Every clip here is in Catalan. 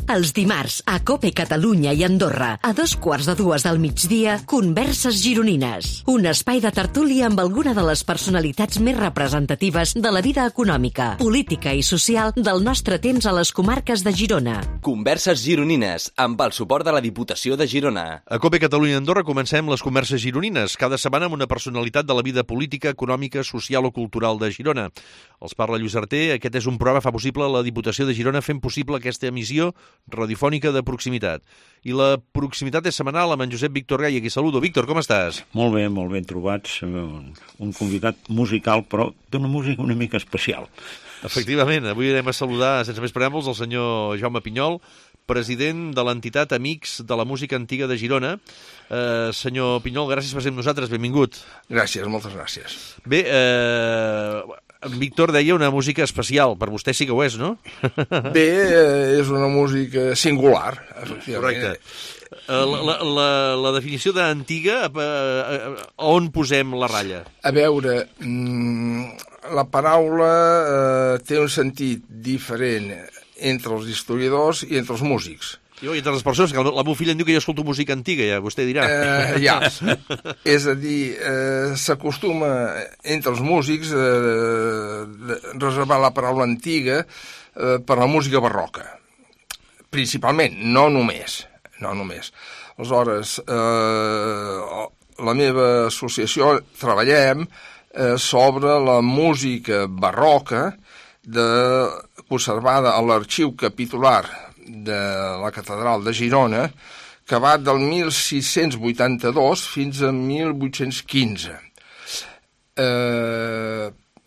Els dimarts, a COPE Catalunya i Andorra, a 2:15 del migdia, Converses Gironines. Un espai de tertúlia amb alguna de les personalitats més representatives de la vida econòmica, política i social del nostre temps a les comarques de Girona. Converses Gironines, amb el suport de la Diputació de Girona. A COPE Catalunya i Andorra comencem les Converses Gironines, cada setmana amb una personalitat de la vida política, econòmica, social o cultural de Girona. Els parla Lluís Arter. Aquest és un programa que fa possible la Diputació de Girona fent possible aquesta emissió radiofònica de proximitat. I la proximitat és setmanal amb en Josep Víctor Gai. Aquí saludo. Víctor, com estàs? Molt ben trobats. Un convidat musical, però d'una música una mica especial. Efectivament, avui anem a saludar, sense més preàmbuls, el senyor Jaume Pinyol, president de l'entitat Amics de la Música Antiga de Girona. Senyor Pinyol, gràcies per ser amb nosaltres, benvingut. Gràcies, moltes gràcies. Bé, en Víctor deia una música especial, per vostè sí que ho és, no? Bé, és una música singular, efectivament. Correcte. La definició d'antiga, on posem la ratlla? A veure, la paraula té un sentit diferent entre els historiadors i entre els músics. I entre les persones, que la meva filla em diu que jo escolto música antiga, ja vostè dirà. Ja, és a dir, s'acostuma entre els músics reservar la paraula antiga per la música barroca, principalment, no només. Aleshores, la meva associació treballem sobre la música barroca conservada a l'arxiu capitular de la Catedral de Girona, que va del 1682 fins a 1815.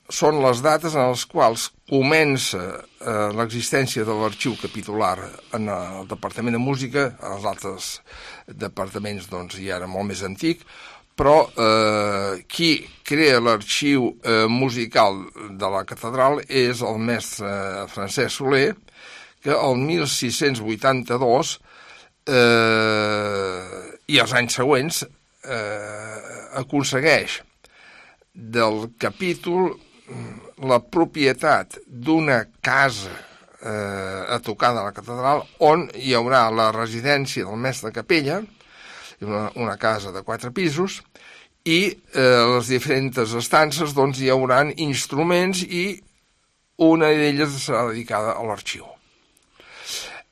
Són les dates en les quals comença l'existència de l'arxiu capitular en el Departament de Música. Els altres departaments doncs, ja era molt més antic, però qui crea l'arxiu musical de la catedral és el mestre Francesc Soler, que el 1682 i els anys següents aconsegueix del capítol la propietat d'una casa a tocar de la catedral on hi haurà la residència del mestre de capella, una casa de 4 pisos, i les diferents estances doncs, hi hauran instruments i una d'elles serà dedicada a l'arxiu.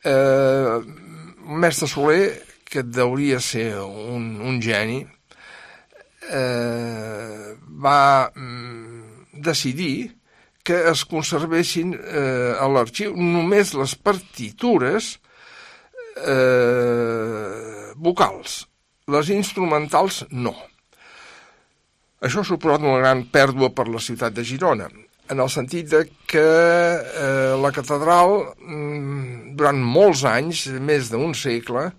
El mestre Soler, que deuria ser un geni, va decidir que es conservessin a l'arxiu només les partitures vocals, les instrumentals no. Això ha suposat una gran pèrdua per la ciutat de Girona, en el sentit que la catedral, durant molts anys, més d'un segle,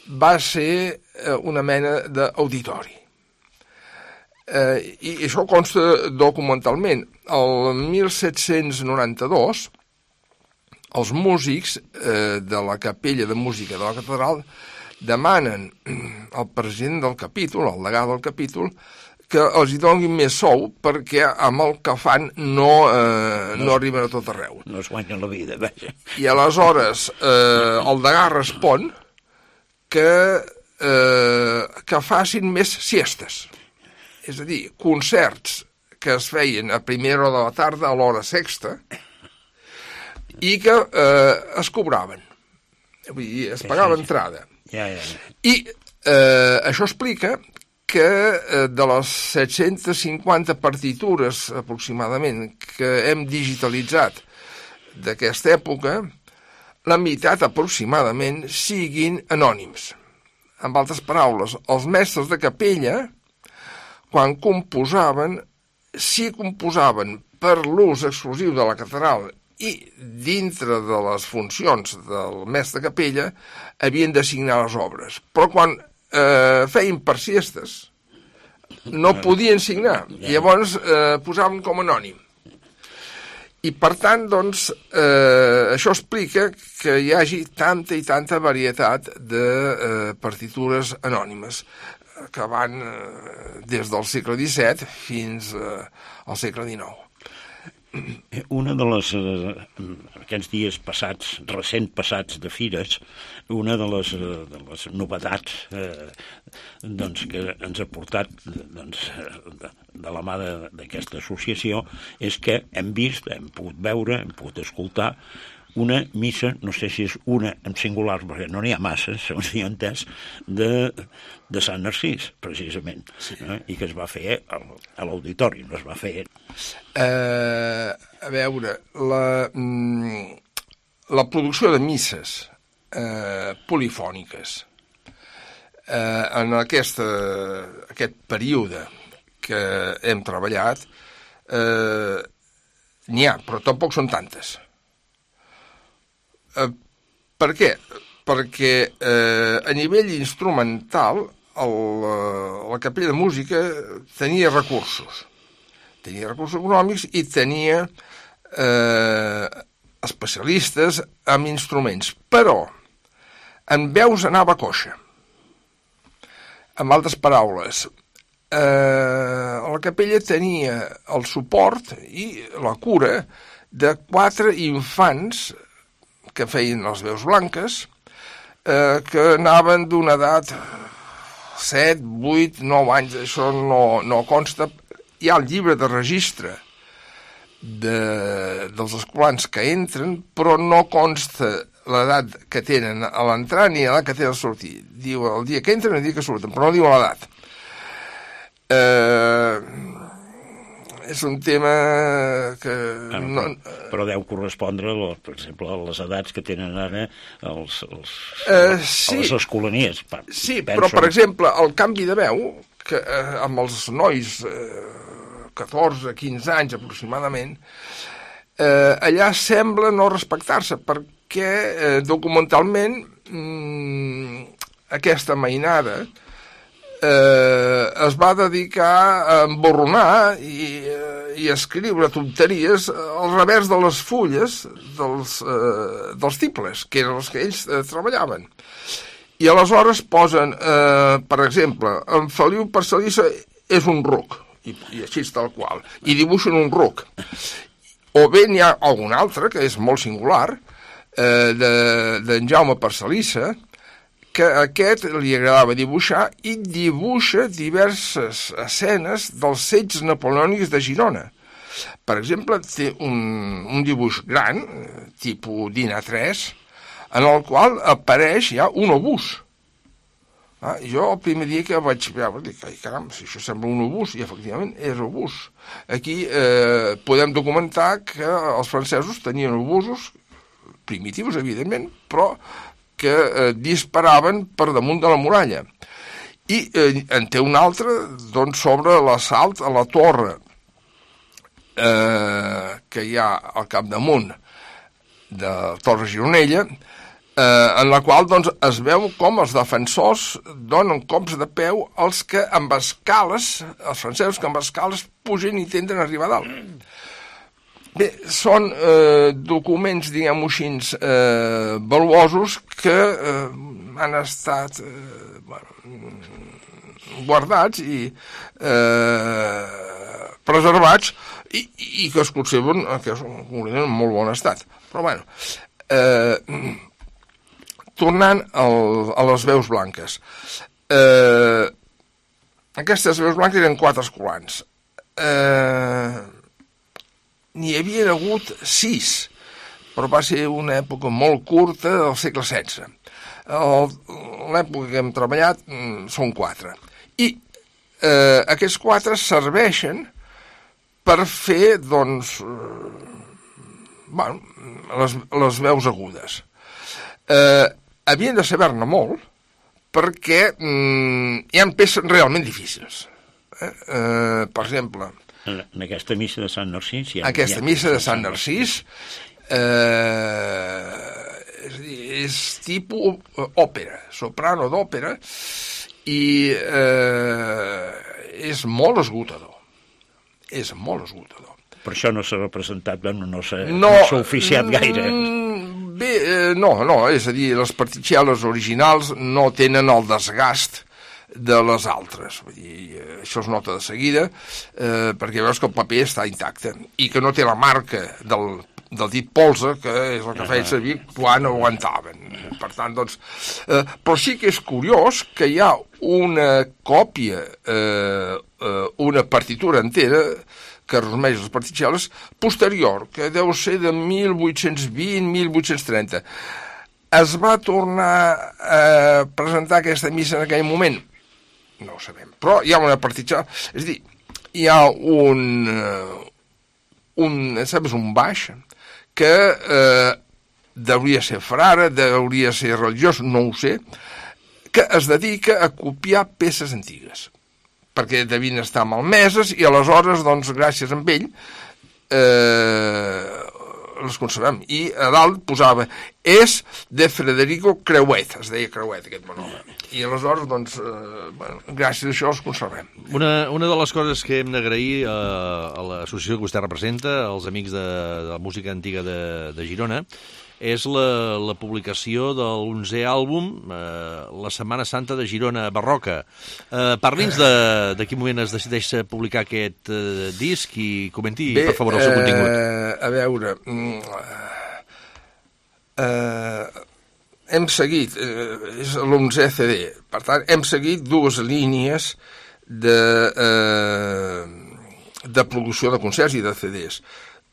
va ser una mena d'auditori. I això consta documentalment. El 1792, els músics de la capella de música de la catedral demanen al president del capítol, al degà del capítol, que els hi donin més sou perquè amb el que fan no arriben a tot arreu. No es guanyen la vida, vaja. I aleshores el degà respon que facin més siestes. És a dir, concerts que es feien a primera hora de la tarda, a l'hora sexta, i que es cobraven. Vull dir, es pagava entrada. Ja. I això explica que de les 750 partitures aproximadament que hem digitalitzat d'aquesta època, la meitat aproximadament siguin anònims. En altres paraules, els mestres de capella, quan composaven, si composaven per l'ús exclusiu de la catedral i dintre de les funcions del mestre de capella, havien de signar les obres. Però quan feien per siestes, no podien signar, i llavors posaven com anònim. I per tant, doncs, això explica que hi hagi tanta i tanta varietat de partitures anònimes que van des del segle XVII fins al segle XIX. Una de les, aquests dies passats, recent passats de fires, una de les novetats doncs, que ens ha portat doncs, de la mà d'aquesta associació és que hem vist, hem pogut veure, hem pogut escoltar una missa, no sé si és una en singular, perquè no n'hi ha massa, segons he entès, de Sant Narcís, precisament, sí. I que es va fer a l'auditori, no es va fer... A veure, la producció de misses polifòniques en aquest període que hem treballat n'hi ha, però tampoc són tantes. Per què? Perquè a nivell instrumental la capella de música tenia recursos econòmics i tenia especialistes en instruments, però en veus anava coixa. En altres paraules, la capella tenia el suport i la cura de 4 infants que feien les veus blanques, que anaven d'una edat 7, 8, 9 anys, això no consta. Hi ha el llibre de registre dels escolans que entren, però no consta l'edat que tenen a l'entrar ni l'edat que tenen a sortir. Diu el dia que entren i el dia que surten, però no diu l'edat. És un tema que... Però deu correspondre, per exemple, a les edats que tenen ara sí, les escolanies. Sí, però, per exemple, el canvi de veu, que amb els nois 14, 15 anys aproximadament, allà sembla no respectar-se, perquè documentalment aquesta mainada es va dedicar a emborronar i a escriure tonteries al revers de les fulles dels tiples, que eren els que ells treballaven. I aleshores posen, per exemple, en Feliu Parcelissa és un ruc, i així tal qual, i dibuixen un ruc. O bé n'hi ha algun altre, que és molt singular, d'en Jaume Parcelissa, que a aquest li agradava dibuixar i dibuixa diverses escenes dels setges napoleònics de Girona. Per exemple, té un dibuix gran, tipus DIN A3, en el qual apareix ja un obús. Jo el primer dia que vaig veure, dic, ai caram, si això sembla un obús, i efectivament és obús. Aquí podem documentar que els francesos tenien obusos primitius, evidentment, però que disparaven per damunt de la muralla. I en té un altre doncs, sobre l'assalt a la torre que hi ha al capdamunt de Torre Gironella, en la qual doncs, es veu com els defensors donen cops de peu als que amb escales, els francesos que amb escales pugen i intenten arribar a dalt. Bé, són documents, diguem-ho així, valuosos que han estat guardats i preservats i que es conserven en molt bon estat. Però, bueno, tornant a les veus blanques. Aquestes veus blanques eren 4 escolans. N'hi havia hagut 6, però va ser una època molt curta del segle XVI. L'època que hem treballat són 4. I aquests 4 serveixen per fer, doncs, les veus agudes. Havien de saber-ne molt, perquè hi ha peces realment difícils. Per exemple... En aquesta missa de Sant Narcís... Aquesta missa de Sant Narcís és tipus òpera, soprano d'òpera, i és molt esgotador. És molt esgotador. Per això no s'ha representat, no s'ha oficiat gaire. Bé, no, és a dir, les particelles originals no tenen el desgast de les altres. Vull dir, això es nota de seguida, perquè veus que el paper està intacte i que no té la marca del dit polze, que és el que feien servir quan aguantaven. Per tant, doncs... però sí que és curiós que hi ha una còpia, una partitura entera, que resumeix les particel·les, posterior, que deu ser de 1820-1830. Es va tornar a presentar aquesta missa en aquell moment? No ho sabem, però hi ha una particel·la... És a dir, hi ha un baix que deuria ser frare, deuria ser religiós, no ho sé, que es dedica a copiar peces antigues, perquè devien estar malmeses i aleshores, doncs, gràcies a ell, les conservem. I a dalt posava és de Federico Creuet, es deia Creuet, aquest monòleg. I aleshores, doncs, gràcies a això els conservem. Una de les coses que hem d'agrair a l'associació que vostè representa, als amics de la música antiga de Girona, és la publicació de l'11è àlbum, La Setmana Santa de Girona Barroca. Parli'ns de quin moment es decideix publicar aquest disc i comenti, per favor, el seu contingut. A veure, hem seguit, és l'11è CD, per tant, hem seguit dues línies de producció de concerts i de CDs.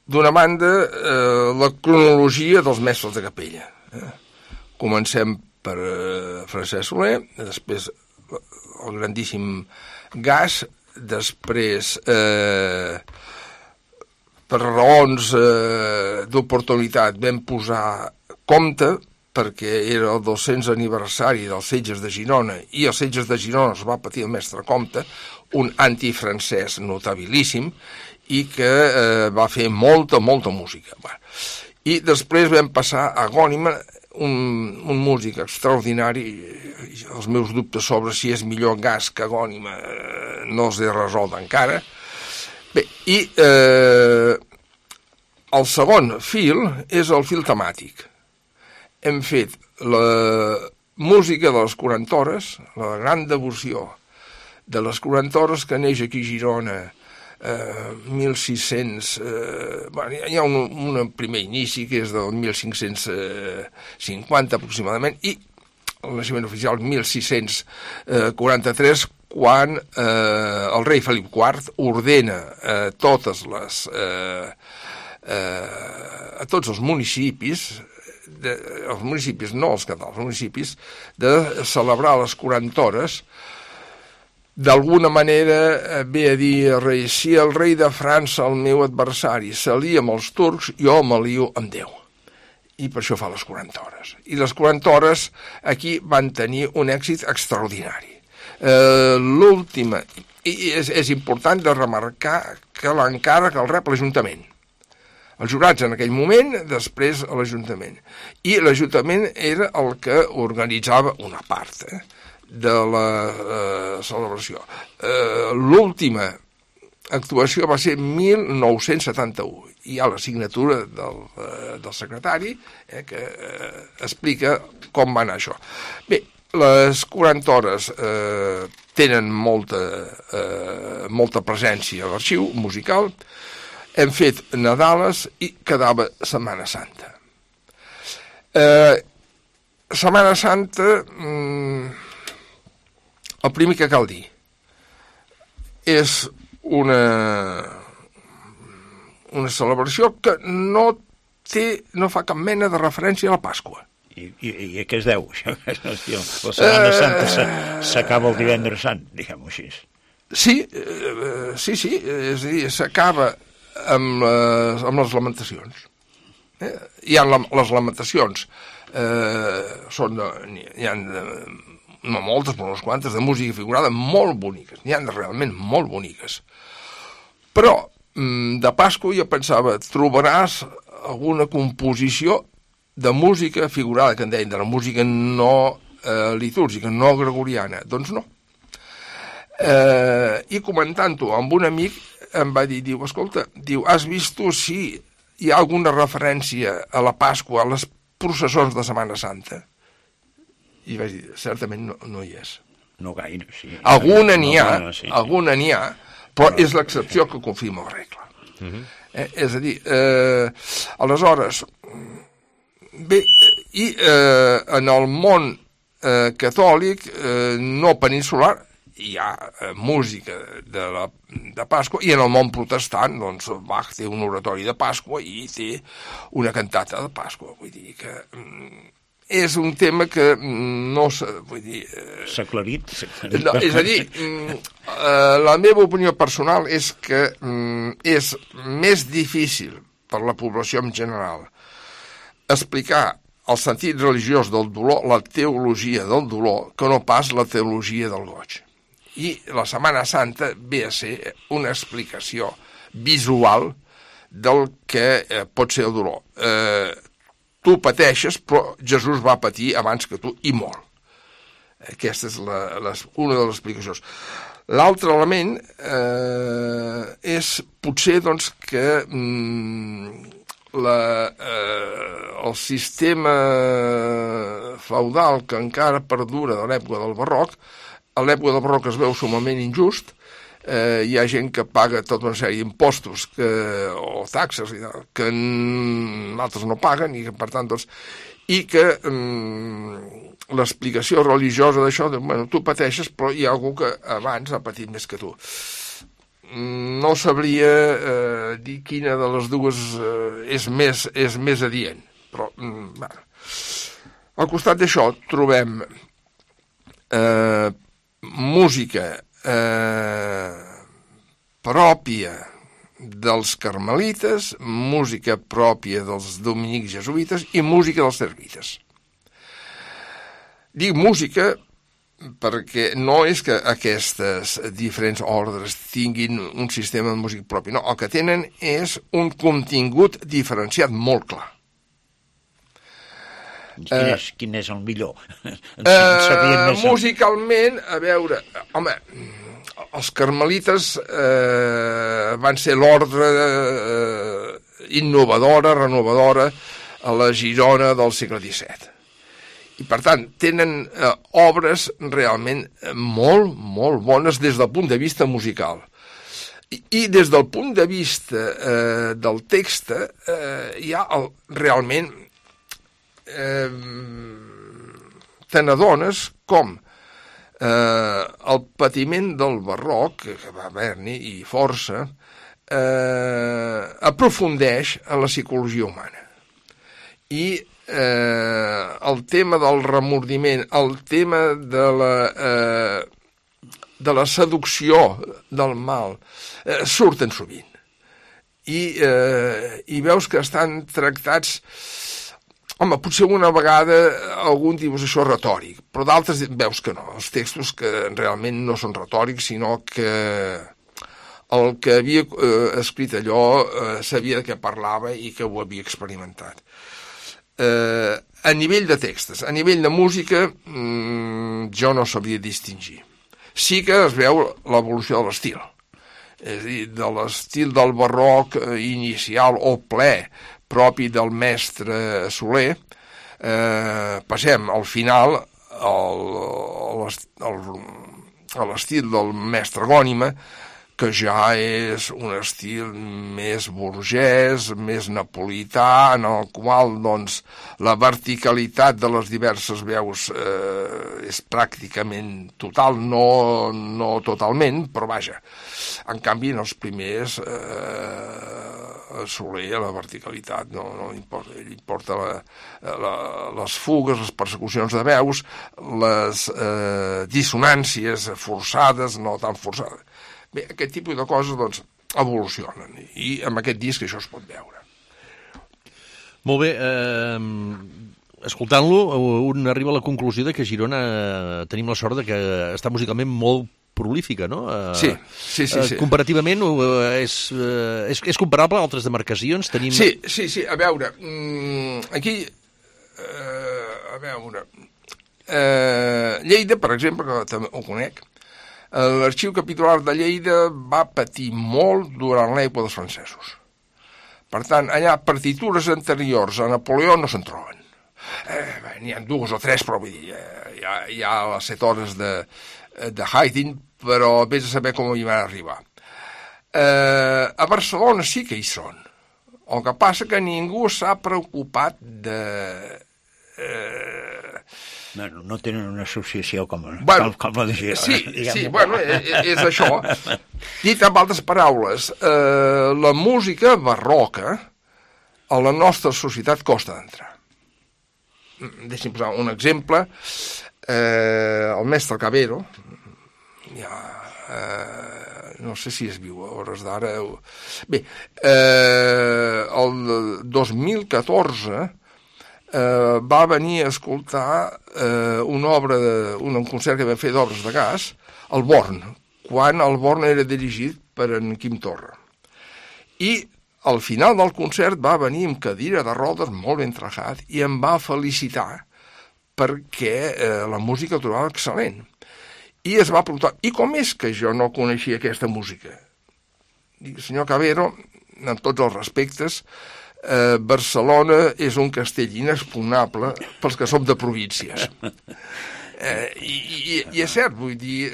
D'una banda, la cronologia dels mestres de capella. Comencem per Francesc Soler, després el grandíssim Gas, després, per raons d'oportunitat, vam posar Comte, perquè era el 200 aniversari dels Setges de Girona, i els Setges de Girona es va patir el mestre Comte, un antifrancès notabilíssim, i que va fer molta música. I després vam passar a Agònima, un músic extraordinari. Els meus dubtes sobre si és millor Gas que Agònima no els he resolt encara. Bé, i el segon fil és el fil temàtic. Hem fet la música de les 40 hores, la gran devoció de les 40 hores que neix aquí a Girona, 1600, hi ha un primer inici que és del 1550 aproximadament, i el naixement oficial 1643, quan el rei Felip IV ordena a tots els municipis, els municipis, no els catalans, els municipis, de celebrar les 40 hores. D'alguna manera ve a dir al rei, si el rei de França, el meu adversari, s'alia amb els turcs, jo m'alio amb Déu. I per això fa les 40 hores. I les 40 hores aquí van tenir un èxit extraordinari. L'última, i és important de remarcar que l'encàrrec el rep l'Ajuntament. Els jurats en aquell moment, després a l'Ajuntament. I l'Ajuntament era el que organitzava una part, de la celebració. L'última actuació va ser 1971. Hi ha la signatura del secretari que explica com va anar això. Bé, les 40 hores tenen molta presència a l'arxiu musical. Hem fet Nadales i quedava Setmana Santa. Setmana Santa... El primer que cal dir és una celebració que no fa cap mena de referència a la Pasqua. I a què es deu? La Setmana Santa s'acaba el Divendres Sant, diguem-ho així. Sí, és a dir, s'acaba amb les lamentacions. Hi ha les lamentacions, hi ha no moltes, però unes quantes, de música figurada molt boniques, n'hi ha realment molt boniques. Però de Pasqua jo pensava, trobaràs alguna composició de música figurada, que en deien, de la música no litúrgica, no gregoriana. Doncs no. I comentant-ho amb un amic em va dir, escolta, has vist si hi ha alguna referència a la Pasqua, a les processons de Setmana Santa? I vaig dir, certament no hi és. No gaire, sí. Alguna n'hi ha, però és l'excepció que confirma la regla. És a dir, aleshores, bé, i en el món catòlic no peninsular hi ha música de Pasqua, i en el món protestant, doncs, Bach té un oratori de Pasqua i té una cantata de Pasqua. Vull dir que és un tema que no vull dir... S'ha aclarit. No, és a dir, la meva opinió personal és que és més difícil per la població en general explicar el sentit religiós del dolor, la teologia del dolor, que no pas la teologia del goig. I la Setmana Santa ve a ser una explicació visual del que pot ser el dolor. Tu pateixes, però Jesús va patir abans que tu, i molt. Aquesta és una de les explicacions. L'altre element és potser doncs, que el sistema feudal que encara perdura de l'època del barroc, a l'època del barroc es veu sumament injust. Hi ha gent que paga tota una sèrie d'impostos o taxes que altres no paguen, i que per tant doncs, i que l'explicació religiosa d'això, bueno, tu pateixes, però hi ha algú que abans ha patit més que tu. No sabria dir quina de les dues és més adient, però bueno. Al costat d'això trobem música pròpia dels carmelites, música pròpia dels dominics jesuïtes i música dels servites. Dic música perquè no és que aquestes diferents ordres tinguin un sistema de música propi, no, el que tenen és un contingut diferenciat molt clar. Quin és el millor? Musicalment, a veure, home, els carmelites van ser l'ordre innovadora, renovadora a la Girona del segle XVII. I, per tant, tenen obres realment molt, molt bones des del punt de vista musical. I des del punt de vista del text hi ha realment te n'adones com el patiment del barroc, que va haver-n'hi i força, aprofundeix en la psicologia humana. I el tema del remordiment, el tema de la seducció del mal, surten sovint. I veus que estan tractats... Home, potser una vegada algun dius això retòric, però d'altres veus que no, els textos que realment no són retòrics, sinó que el que havia escrit allò sabia de què parlava i que ho havia experimentat. A nivell de textos, a nivell de música, jo no sabria distingir. Sí que es veu l'evolució de l'estil, és a dir, de l'estil del barroc inicial o ple, propi del mestre Soler, passem al final a l'estil del mestre Gònima, que ja és un estil més burgès, més napolità, en el qual doncs, la verticalitat de les diverses veus és pràcticament total, no totalment, però vaja. En canvi, en els primers, Soler, la verticalitat no importa. Ell importa les fugues, les persecucions de veus, les dissonàncies forçades, no tan forçades. Bé, aquest tipus de coses doncs, evolucionen, i amb aquest disc això es pot veure. Molt bé, escoltant-lo, un arriba a la conclusió de que a Girona tenim la sort de que està musicalment molt prolífica, no? Sí. Comparativament és comparable a altres demarcacions? Tenim... Sí, a veure, aquí, Lleida, per exemple, que també ho conec, l'Arxiu Capitular de Lleida va patir molt durant l'època dels francesos. Per tant, allà partitures anteriors a Napoleó no se'n troben. N'hi ha 2 o 3, però vull dir, hi ha les 7 hores de Haydn, però vés a saber com hi van arribar. A Barcelona sí que hi són. El que passa que ningú s'ha preocupat de... No tenen una associació com la de Girona. Sí, bueno, és això. Dit amb altres paraules, la música barroca a la nostra societat costa d'entrar. Deixi'm posar un exemple. El mestre Cabero, no sé si es viu a hores d'ara. Bé, el 2014 va venir a escoltar un concert que vam fer d'obres de gas al Born, quan el Born era dirigit per en Quim Torra. I al final del concert va venir amb cadira de rodes molt ben trajat i em va felicitar perquè la música el trobava excel·lent. I es va preguntar, i com és que jo no coneixia aquesta música? Dic, senyor Cabero, en tots els respectes, Barcelona és un castell inexpugnable pels que som de províncies. I és cert, vull dir,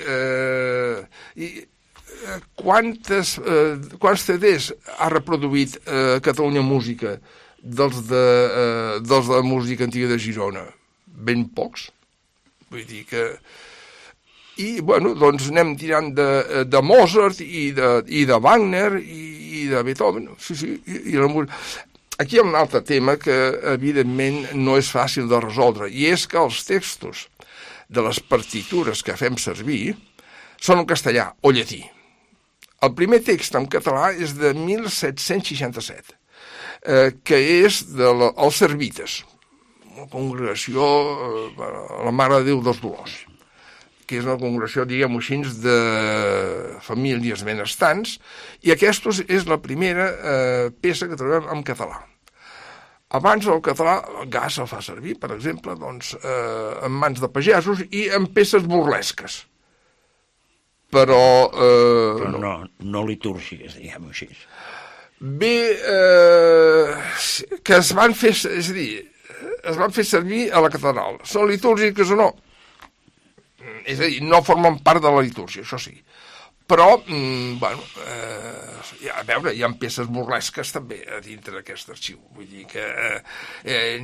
quants CDs ha reproduït Catalunya Música dels de música antiga de Girona? Ben pocs. Vull dir que... I, bueno, doncs anem tirant de Mozart i de Wagner i de Beethoven. Sí, i la música... Aquí hi ha un altre tema que, evidentment, no és fàcil de resoldre, i és que els textos de les partitures que fem servir són en castellà o llatí. El primer text en català és de 1767, que és dels Servites, una congregació, la Mare de Déu dels Dolors, que és una congregació, diguem-ho així, de famílies benestants, i aquesta és la primera peça que trobem en català. Abans el català, el gas el fa servir, per exemple, doncs, en mans de pagesos i en peces burlesques. Però no litúrgiques, diguem-ho així. Bé, que es van fer, és a dir, es van fer servir a la catedral. Són litúrgiques o no? És a dir, no formen part de la litúrgia, això sí. Però, bueno, a veure, hi ha peces burlesques també a dintre d'aquest arxiu. Vull dir que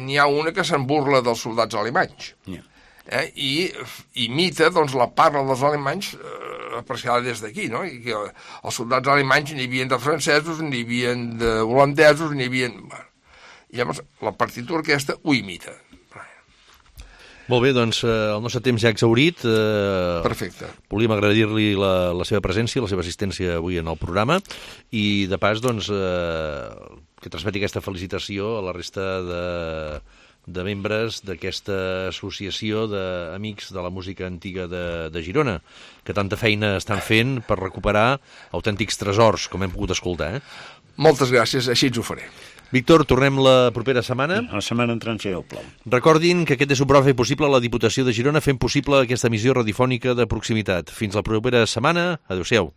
n'hi ha una que se'n burla dels soldats alemanys. I imita, doncs, la parla dels alemanys apreciada des d'aquí, no? I que els soldats alemanys n'hi havia de francesos, n'hi havia de holandesos, n'hi havia... Bueno, i llavors la partitura aquesta ho imita. Molt bé, doncs el nostre temps ja ha exhaurit. Perfecte. Volíem agrair-li la seva presència, la seva assistència avui en el programa i, de pas, doncs, que transmeti aquesta felicitació a la resta de membres d'aquesta associació d'amics de la música antiga de Girona, que tanta feina estan fent per recuperar autèntics tresors, com hem pogut escoltar. Moltes gràcies, així ens ho faré. Víctor, tornem la propera setmana. La setmana entrant serà el plau. Recordin que aquest és un programa fet possible a la Diputació de Girona fent possible aquesta emissió radiofònica de proximitat. Fins la propera setmana. Adéu-siau.